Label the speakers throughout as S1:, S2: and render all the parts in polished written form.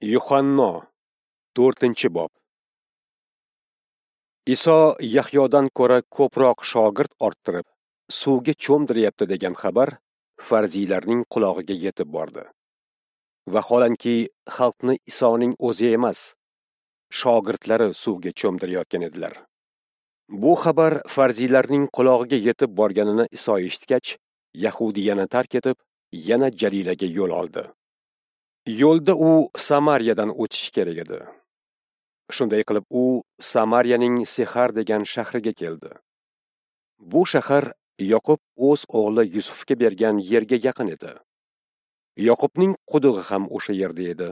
S1: Yuhanno 4-bob. Iso Yahyodan ko'ra ko'proq shogird orttirib, suvga cho'mdiryapti degan xabar farziylarning qulog'iga yetib bordi. Vaholanki, xalqni Isoning o'zi emas, shogirdlari suvga cho'mdirayotgan edilar. Bu xabar farziylarning qulog'iga yetib borganini Iso eshitgach, Yahudiyani tark etib, yana Jalilaga yo'l oldi. Yo'lda u Samariyadan o'tishi kerak edi. Shunday qilib u Samariyaning Sixar degan shahriga keldi. Bu shahar Yoqub o'z o'g'li Yusufga bergan yerga yaqin edi. Yoqubning qudug'i ham o'sha yerda edi.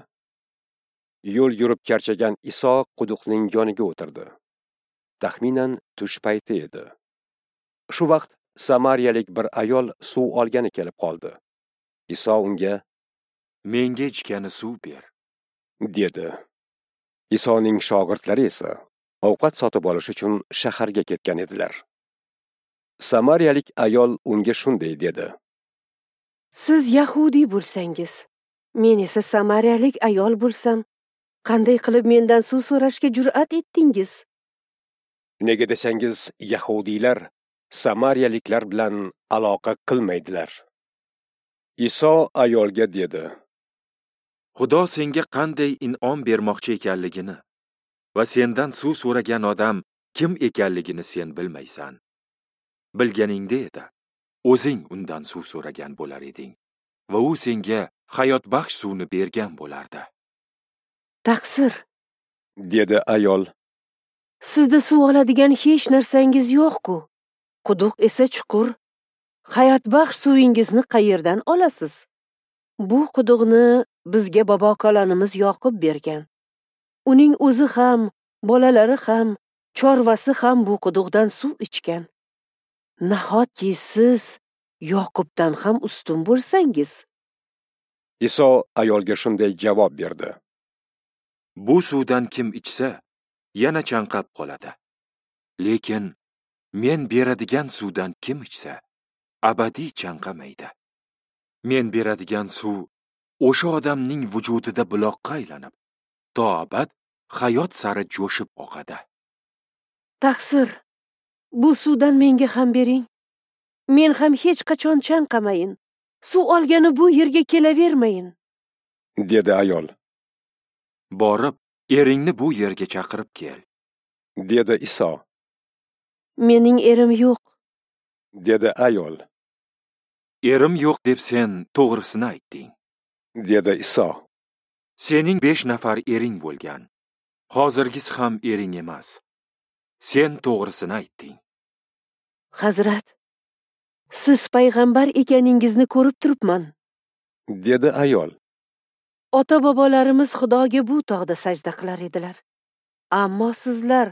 S1: Yo'l yurib charchagan Iso quduqning yoniga o'tirdi. Taxminan tush payti edi. Shu vaqt samariyalik bir ayol suv olgani kelib qoldi. Iso unga:
S2: "Menga ichgani suv ber",
S1: dedi. Isoning shogirdlari esa ovqat sotib olish uchun shaharga ketgan edilar. Samariyalik ayol unga shunday dedi:
S3: "Siz yahudiy bo'lsangiz, men esa samariyalik ayol bo'lsam, qanday qilib mendan suv so'rashga jur'at etdingiz?"
S1: Nega desangiz, yahudiylar samariyaliklar bilan aloqa qilmaydilar. Iso ayolga dedi:
S2: "Xudo senga qanday in'om bermoqchi ekanligini va sendan suv so'ragan odam kim ekanligini sen bilmaysan. Bilganingda edi, o'zing undan suv so'ragan bo'lar eding va u senga hayotbaxsh suvni bergan bo'lardi."
S3: "Taqsir",
S1: dedi ayol.
S3: "Sizda suv oladigan hech narsangiz yo'q-ku. Quduq esa chuqur. Hayotbaxsh suvingizni qayerdan olasiz? Bu quduqni bizga bobo-kalonimiz Yoqub bergan. Uning o'zi ham, bolalari ham, chorvasi ham bu quduqdan suv ichgan. Nahotki siz Yoqubdan ham ustun bo'lsangiz?"
S1: Iso ayolga shunday javob berdi:
S2: "Bu suvdan kim ichsa, yana chanqab qoladi. Lekin men beradigan suvdan kim ichsa, abadiy chanqamaydi. Men beradigan suv o'sha odamning vujudida buloqqa aylanib, to abad hayot sari jo'shib oqadi."
S3: "Taqsir, bu suvdan menga ham bering. Men ham hech qachon chanqamayin. Suv olgani bu yerga kelavermayin",
S1: dedi ayol.
S2: "Borib, eringni bu yerga chaqirib kel",
S1: dedi Iso.
S3: "Mening erim yo'q",
S1: dedi ayol.
S2: "Erim yo'q deb sen to'g'risini aytding",
S1: dedi Iso.
S2: "Sening 5 nafar ering bo'lgan. Hozirgisi ham ering emas. Sen to'g'risini aytding."
S3: "Hazrat, siz payg'ambar ekaningizni ko'rib turibman",
S1: dedi ayol.
S3: "Ota-bobolarimiz Xudoga bu tog'da sajda qilar edilar. Ammo sizlar,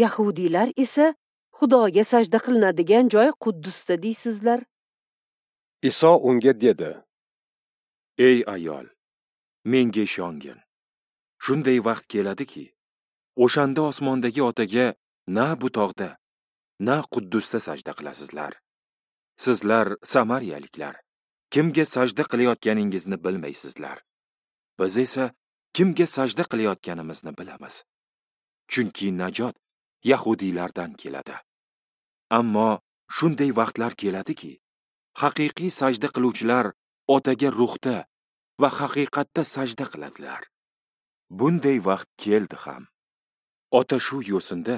S3: yahudiylar esa Xudoga sajda qilinadigan joy Quddusda deysizlar."
S1: Iso unga dedi:
S2: "Ey ayol, menga ishongin. Shunday vaqt keladiki, o'shanda osmondagi Otaga na bu tog'da, na Quddusda sajda qilasizlar. Sizlar samariyaliklar, kimga sajda qilayotganingizni bilmaysizlar. Biz esa kimga sajda qilayotganimizni bilamiz. Chunki najot yahudiylardan keladi. Ammo shunday vaqtlar keladiki, haqiqiy sajda qiluvchilar Otaga ruhda va haqiqatda sajda qiladilar. Bunday vaqt keldi ham. Ota shu yo'sinda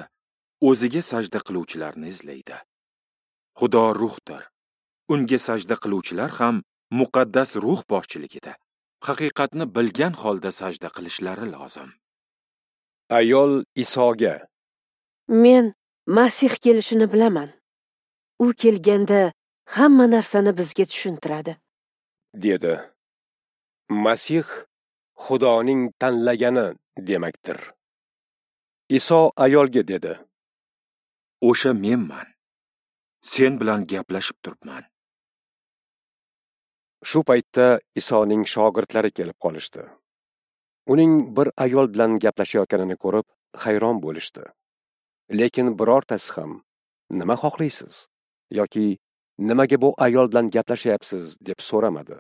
S2: o'ziga sajda qiluvchilarni izlaydi. Xudo ruhdir. Unga sajda qiluvchilar ham muqaddas ruh boshchiligida haqiqatni bilgan holda sajda qilishlari lozim."
S1: Ayol Isoga:
S3: "Men Masih kelishini bilaman. U kelganda hamma narsani bizga tushuntiradi",
S1: dedi. Masih Xudoning tanlagani demakdir. Iso ayolga dedi:
S2: "O'sha menman. Sen bilan gaplashib turibman."
S1: Shu paytda Isoning shogirdlari kelib qolishdi. Uning bir ayol bilan gaplashayotganini ko'rib hayron bo'lishdi. Lekin birortasi ham "Nima xohlaysiz?" yoki "Nimaga bu ayol bilan gaplashyapsiz?" deb so'ramadi.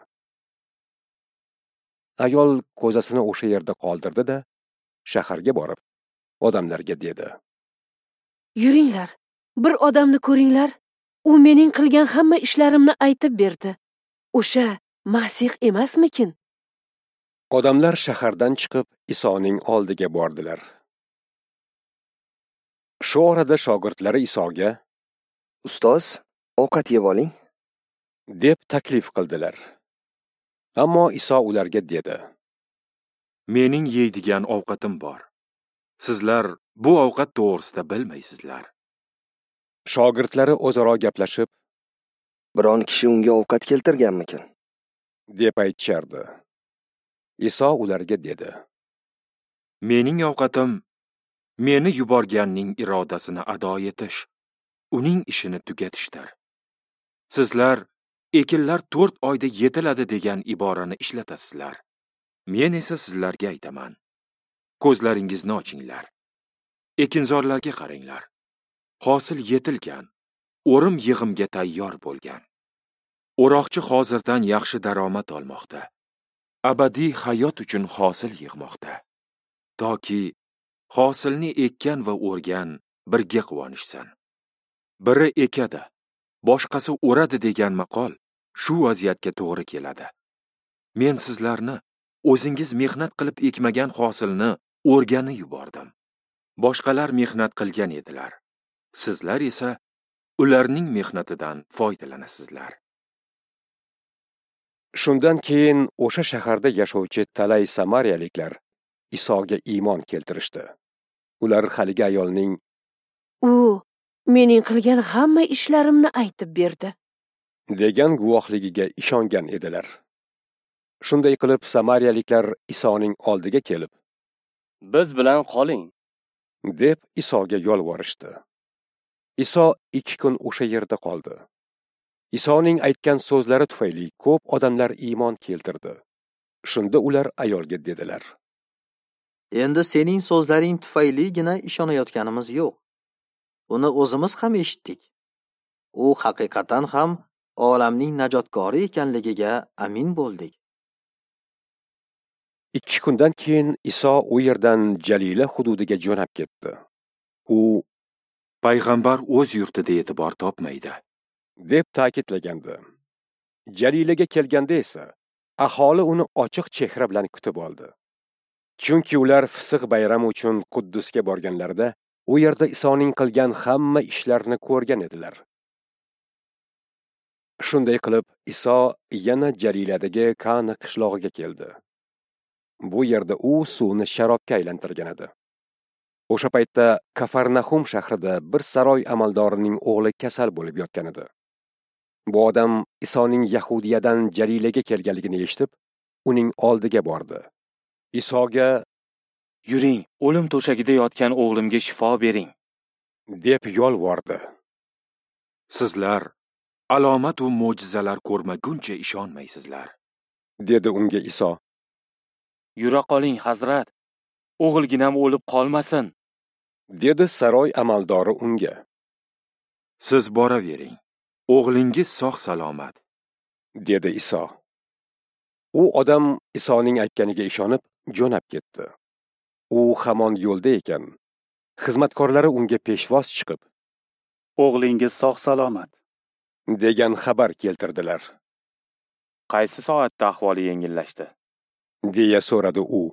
S1: Ayol ko'zasini o'sha yerda qoldirdi-da, shaharga borib, odamlarga dedi:
S3: Yuringlar, bir odamni ko'ringlar. U mening qilgan hamma ishlarimni aytib berdi. O'sha Masih emasmikin?
S1: Odamlar shahardan chiqib Isoning oldiga bordilar. Shu orada shogirdlari Isoga:
S4: Ustoz, ovqat yeb oling,
S1: deb taklif qildilar. Ammo Iso ularga dedi:
S2: Mening yeydigan ovqatim bor. Sizlar bu ovqat to'g'risida bilmaysizlar.
S1: Shogirdlari o'zaro gaplashib,
S4: biron kishi unga ovqat keltirganmikin,
S1: deb aytishardi. Iso ularga dedi:
S2: Mening ovqatim meni yuborganning irodasini ado etish, uning ishini tugatishdir. Sizlar ekinlar 4 oyda yetiladi degan iborani ishlatasizlar. Men esa sizlarga aytaman: ko'zlaringizni ochinglar. Ekinzorlarga qaranglar. Hosil yetilgan, o'rim yig'imga tayyor bo'lgan. O'roqchi hozirdan yaxshi daromad olmoqda. Abadiy hayot uchun hosil yig'moqda. Toki hosilni ekkan va o'rgan birga quvonishsin. Biri ekadi, boshqasi o'radi degan maqol shu vaziyatga to'g'ri keladi. Men sizlarni o'zingiz mehnat qilib ekmagan hosilni o'rgani yubordim. Boshqalar mehnat qilgan edilar. Sizlar esa ularning mehnatidan foydalanasizlar.
S1: Shundan keyin o'sha shaharda yashovchi talay samariyaliklar Isoga iymon keltirishdi. Ular haligi ayolning:
S3: U mening qilgan hamma ishlarimni aytib berdi,
S1: degan guvohligiga ishongan edilar. Shunday qilib samariyaliklar Isoning oldiga kelib,
S5: Biz bilan qoling,
S1: deb Isoga yolvorishdi. Iso 2 kun o'sha yerda qoldi. Isoning aytgan so'zlari tufayli ko'p odamlar iymon keltirdi. Shunda ular ayolga dedilar:
S6: Endi sening so'zlaring tufayligina ishonayotganimiz yo'q. Uni o'zimiz ham eshitdik. U haqiqatan ham olamning najotkori ekanligiga amin bo'ldik.
S1: 2 kundan keyin Iso u yerdan Jalila hududiga jo'nab ketdi. U:
S2: Payg'ambar o'z yurtida e'tibor topmaydi,
S1: deb ta'kidlagandi. Jalilaga kelganda esa aholi uni ochiq chehra bilan kutib oldi. Chunki ular Fisq bayrami uchun Quddusga borganlarida u yerda Isoning qilgan hamma ishlarini ko'rgan edilar. Shunday qilib Iso yana Jaliladagi Kana qishlog'iga keldi. Bu yerda u suvni sharobga aylantirgan edi. O'sha paytda Kafarnahum shahrida bir saroy amaldorining o'g'li kasal bo'lib yotgan edi. Bu odam Isoning Yahudiyadan Jalilaga kelganligini eshitib, uning oldiga bordi. Isoga:
S7: Yuring, o'lim to'shagida yotgan o'g'limga shifo bering,
S1: deb yolvordi.
S2: Sizlar alomat va mo'jizalar ko'rmaguncha ishonmaysizlar,
S1: dedi unga Iso.
S7: Yura qoling, hazrat, o'g'ilginam o'lib qolmasin,
S1: dedi saroy amaldori unga.
S2: Siz boravering, o'g'lingiz sog' salomat,
S1: dedi Iso. U odam Isoning aytganiga ishonib, jo'nab ketdi. U hamon yo'lda ekan, xizmatkorlari unga peshvoz chiqib,
S8: O'g'lingiz sog' salomat,
S1: degan xabar keltirdilar.
S7: Qaysi soatda ahvoli yengillashdi?
S1: deya so'radi u.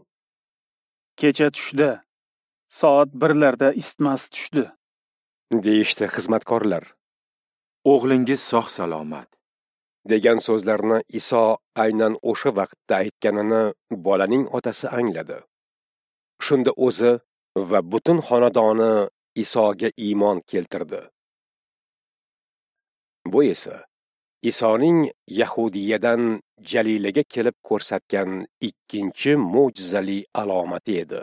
S8: Kecha tushda, soat 1larda isitmasi tushdi,
S1: deyishdi xizmatkorlar.
S2: O'g'lingiz sog' salomat,
S1: degan so'zlarni Iso aynan o'sha vaqtda aytganini bolaning otasi angladi. Shunda o'zi va butun xonadoni Isoga iymon keltirdi. Bu esa Isoning Yahudiyadan Jalilaga kelib ko'rsatgan ikkinchi mo'jizali alomati edi.